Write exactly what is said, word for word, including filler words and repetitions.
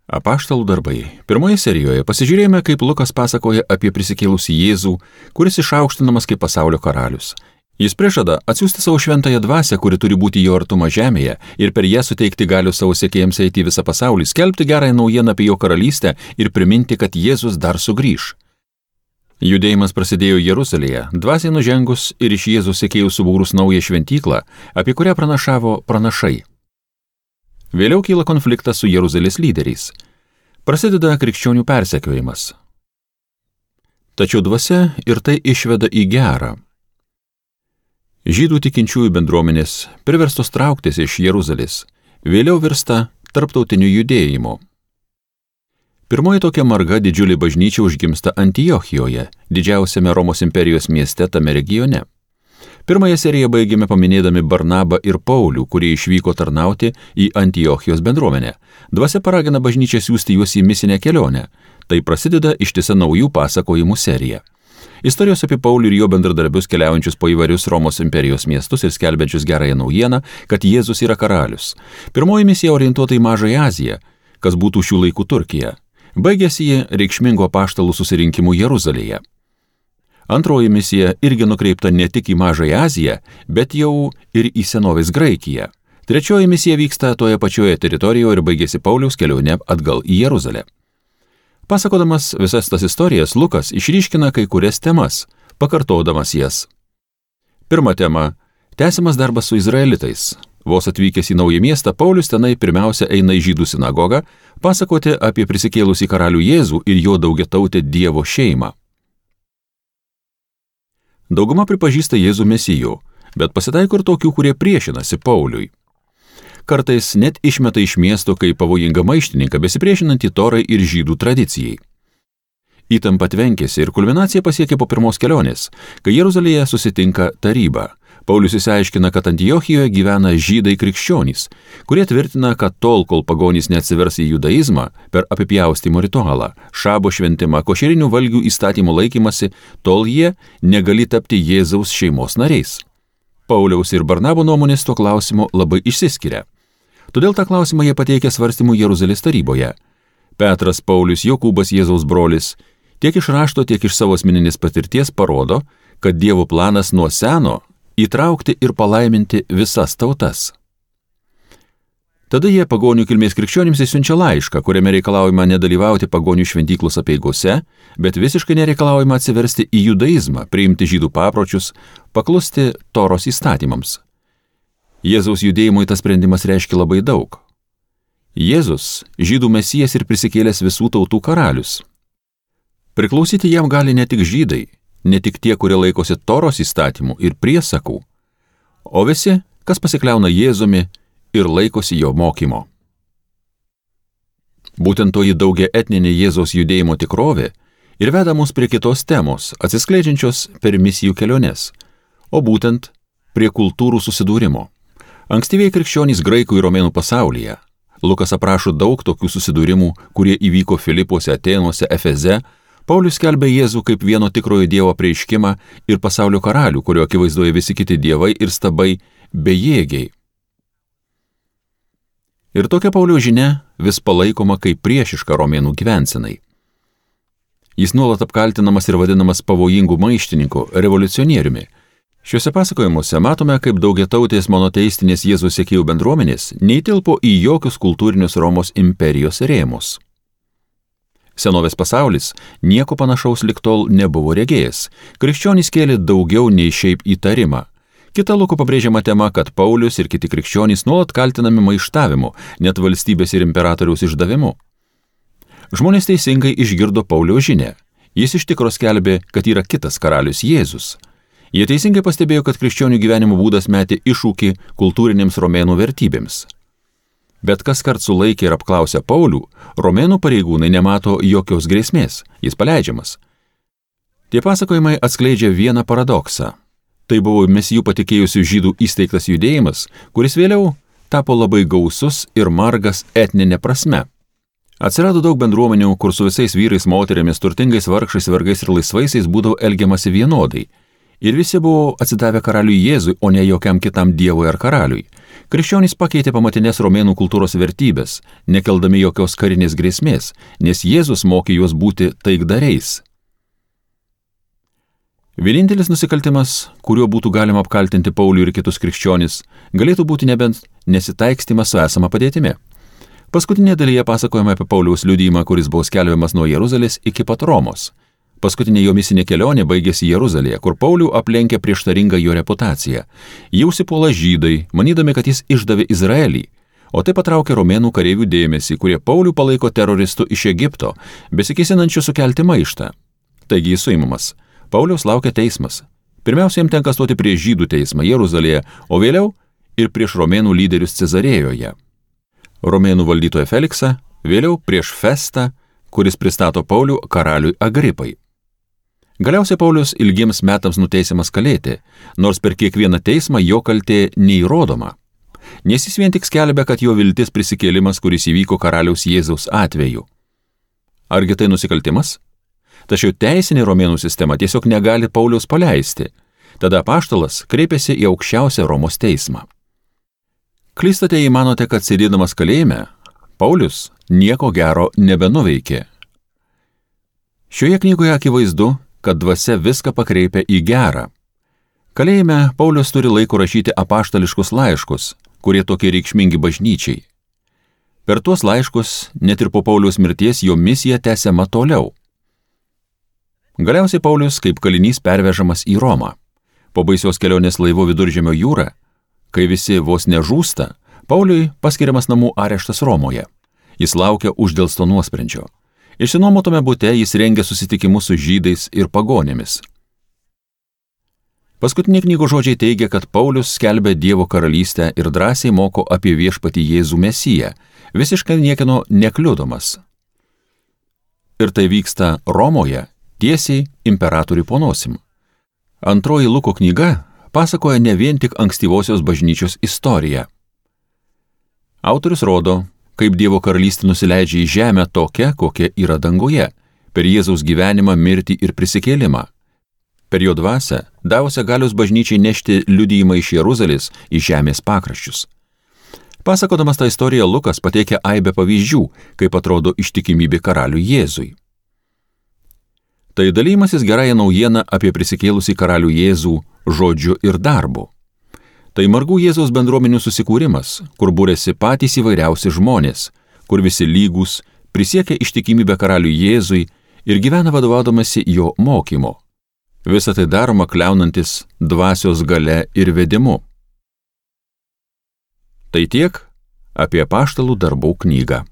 Apaštalų darbai. Pirmoje serijoje pasižiūrėjome, kaip Lukas pasakoja apie prisikėlusį Jėzų, kuris išaukštinamas kaip pasaulio karalius. Jis prižada atsiųsti savo šventąją dvasią, kuri turi būti jo artuma žemėje, ir per ją suteikti galių savo sekėjams eiti į visą pasaulį, skelbti gerąją naujieną apie jo karalystę ir priminti, kad Jėzus dar sugrįš. Judėjimas prasidėjo Jeruzalėje, dvasiai nužengus ir iš Jėzus sekėjų subūrus naują šventyklą, apie kurią pranašavo pranašai. Vėliau kyla konfliktas su Jeruzalės lyderiais. Prasideda krikščionių persekiojimas. Tačiau dvasia ir tai išveda į gerą. Žydų tikinčiųjų bendruomenės, priverstos trauktis iš Jeruzalės, vėliau virsta tarptautiniu judėjimu. Pirmoji tokia marga didžiulė bažnyčia užgimsta Antiochijoje, didžiausiame Romos imperijos mieste tame regione. Pirmąją seriją baigėme paminėdami Barnabą ir Paulių, kurie išvyko tarnauti į Antiochijos bendruomenę. Dvasia paragina bažnyčią siųsti juos į misinę kelionę. Tai prasideda ištisa naujų pasakojimų serija. Istorijos apie Paulių ir jo bendradarbius keliaujančius po įvairius Romos imperijos miestus ir skelbiančius gerąją naujieną, kad Jėzus yra karalius. Pirmoji misija orientuota į Mažąją Aziją, kas būtų šių laikų Turkija. Baigėsi ji reikšmingo apaštalų susirinkimu Jeruzalėje. Antroji misija irgi nukreipta ne tik į Mažąją Aziją, bet jau ir į senovės Graikiją. Trečioji misija vyksta toje pačioje teritorijoje ir baigėsi Pauliaus kelionė atgal į Jeruzalę. Pasakodamas visas tas istorijas, Lukas išryškina kai kurias temas, pakartodamas jas. Pirma tema – tęsiamas darbas su izraelitais. Vos atvykęs į naują miestą, Paulius tenai pirmiausia eina į žydų sinagogą, pasakoti apie prisikėlusį karalių Jėzų ir jo daugiatautę Dievo šeimą. Dauguma pripažįsta Jėzų mesiju, bet pasitaiko ir tokių, kurie priešinasi Pauliui. Kartais net išmeta iš miesto kaip pavojingą maištininką, besipriešinantį Torai ir žydų tradicijai. Įtampa tvenkėsi ir kulminacija pasiekė po pirmos kelionės, kai Jeruzalėje susitinka taryba. Paulius įsiaiškina, kad Antiochijoje gyvena žydai krikščionys, kurie tvirtina, kad tol, kol pagonys neatsivers į judaizmą per apipjaustymo ritualą, šabo šventimą, košerinių valgių įstatymų laikymasi, tol jie negali tapti Jėzaus šeimos nariais. Pauliaus ir Barnabo nuomonės tuo klausimu labai išsiskiria. Todėl tą klausimą jie pateikė svarstymų Jeruzalės taryboje. Petras, Paulius, Jokūbas, Jėzaus brolis, tiek iš rašto, tiek iš savo asmeninės patirties parodo, kad Dievo planas nuo seno įtraukti ir palaiminti visas tautas. Tada jie pagonių kilmės krikščionims įsiunčia laišką, kuriame reikalaujama nedalyvauti pagonių šventyklos apeigose, bet visiškai nereikalaujama atsiversti į judaizmą, priimti žydų papročius, paklusti Toros įstatymams. Jėzaus judėjimui tas sprendimas reiškia labai daug. Jėzus, žydų mesijas ir prisikėlęs visų tautų karalius. Priklausyti jam gali ne tik žydai, ne tik tie, kurie laikosi Toros įstatymų ir priesakų, o visi, kas pasikliauna Jėzumi ir laikosi jo mokymo. Būtent toji daugia etninė Jėzaus judėjimo tikrovė ir veda mus prie kitos temos, atsiskleidžiančios per misijų keliones, o būtent prie kultūrų susidūrimo. Ankstyviai krikščionys graikų ir romėnų pasaulyje. Lukas aprašo daug tokių susidūrimų, kurie įvyko Filipuose, Atėnuose, Efeze. Paulius skelbia Jėzų kaip vieno tikrojo Dievo apreiškimą ir pasaulio karalių, kurio akivaizdoje visi kiti dievai ir stabai bejėgiai. Ir tokia Pauliaus žinia vis palaikoma kaip priešiška romėnų gyvensenai. Jis nuolat apkaltinamas ir vadinamas pavojingu maištininku, revoliucionieriumi. Šiuose pasakojimuose matome, kaip daugiatautės monoteistinės Jėzaus sekėjų bendruomenės neįtilpo į jokius kultūrinius Romos imperijos rėmus. Senovės pasaulis nieko panašaus lig tol nebuvo regėjęs. Krikščionys kėlė daugiau nei šiaip įtarimą. Kita Luko pabrėžiama tema, kad Paulius ir kiti krikščionys nuolat kaltinami maištavimu, net valstybės ir imperatoriaus išdavimu. Žmonės teisingai išgirdo Pauliaus žinią. Jis iš tikro skelbė, kad yra kitas karalius Jėzus. Jie teisingai pastebėjo, kad krikščionių gyvenimo būdas metė iššūkį kultūrinėms romėnų vertybėms. Bet kas kart sulaikė ir apklausė Paulių, romėnų pareigūnai nemato jokios grėsmės, jis paleidžiamas. Tie pasakojimai atskleidžia vieną paradoksą. Tai buvo mesijų patikėjusių žydų įsteigtas judėjimas, kuris vėliau tapo labai gausus ir margas etninė prasme. Atsirado daug bendruomenių, kur su visais vyrais, moterimis, turtingais, vargšais, vergais ir laisvaisiais būdavo elgiamasi vienodai. Ir visi buvo atsidavę karaliui Jėzui, o ne jokiam kitam dievui ar karaliui. Krikščionys pakeitė pamatinės romėnų kultūros vertybės, nekeldami jokios karinės grėsmės, nes Jėzus mokė juos būti taikdariais. Vienintelis nusikaltimas, kuriuo būtų galima apkaltinti Paulių ir kitus krikščionis, galėtų būti nebent nesitaikstymas su esama padėtimi. Paskutinėje dalyje pasakojama apie Pauliaus liudijimą, kuris buvo skelbiamas nuo Jeruzalės iki pat Romos. Paskutinė jo misinė kelionė baigėsi Jeruzalėje, kur Paulių aplenkė prieštaringa jo reputacija. Jį užsipuola žydai, manydami, kad jis išdavė Izraelį, o tai patraukė romėnų kareivių dėmesį, kurie Paulių palaiko teroristų iš Egipto, besikėsinančių sukelti maištą. Taigi jis suimamas. Pauliaus laukia teismas. Pirmiausia, jam tenka stoti prieš žydų teismą Jeruzalėje, o vėliau ir prieš romėnų lyderius Cezarėjoje. Romėnų valdytoją Feliksą, vėliau prieš Festą, kuris pristato Paulių karaliui Agripai. Galiausiai Paulius ilgiems metams nuteisiamas kalėti, nors per kiekvieną teismą jo kaltė neįrodoma. Nes jis vien tik skelbia, kad jo viltis prisikėlimas, kuris įvyko karaliaus Jėzaus atveju. Argi tai nusikaltimas? Tačiau teisinė romėnų sistema tiesiog negali Pauliaus paleisti. Tada apaštalas kreipėsi į aukščiausią Romos teismą. Klystate, jei manote, kad sėdėdamas kalėjime, Paulius nieko gero nebenuveikė. Šioje knygoje akivaizdu, kad dvasia viską pakreipia į gerą. Kalėjime Paulius turi laiko rašyti apaštališkus laiškus, kurie tokie reikšmingi bažnyčiai. Per tuos laiškus, net ir po Pauliaus mirties, jo misija tęsiama toliau. Galiausiai Paulius kaip kalinys pervežamas į Romą. Po baisios kelionės laivu Viduržemio jūrą, kai visi vos nežūsta, Pauliui paskiriamas namų areštas Romoje. Jis laukia uždelsto nuosprendžio. Išsinuomotame bute jis rengia susitikimus su žydais ir pagonėmis. Paskutiniai knygos žodžiai teigia, kad Paulius skelbia Dievo karalystę ir drąsiai moko apie viešpatį Jėzų Mesiją, visiškai niekieno nekliudomas. Ir tai vyksta Romoje, tiesiai imperatoriui po nosim. Antroji Luko knyga pasakoja ne vien tik ankstyvosios bažnyčios istoriją. Autorius rodo, kaip Dievo karalystė nusileidžia į žemę tokia, kokia yra danguje, per Jėzaus gyvenimą, mirtį ir prisikėlimą. Per jo dvasią davusią galios bažnyčiai nešti liudijimą iš Jeruzalės į žemės pakraščius. Pasakodamas tą istoriją, Lukas pateikia aibę pavyzdžių, kaip atrodo ištikimybė karaliui Jėzui. Tai dalymasis gerąją naujieną apie prisikėlusį karalių Jėzų žodžiu ir darbu. Tai margų Jėzaus bendruomenių susikūrimas, kur būrėsi patys įvairiausi žmonės, kur visi lygūs, prisiekia ištikimybę karaliui Jėzui ir gyvena vadovaudamasi jo mokymo. Visa tai daroma kliaunantis dvasios galia ir vedimu. Tai tiek apie apaštalų darbų knygą.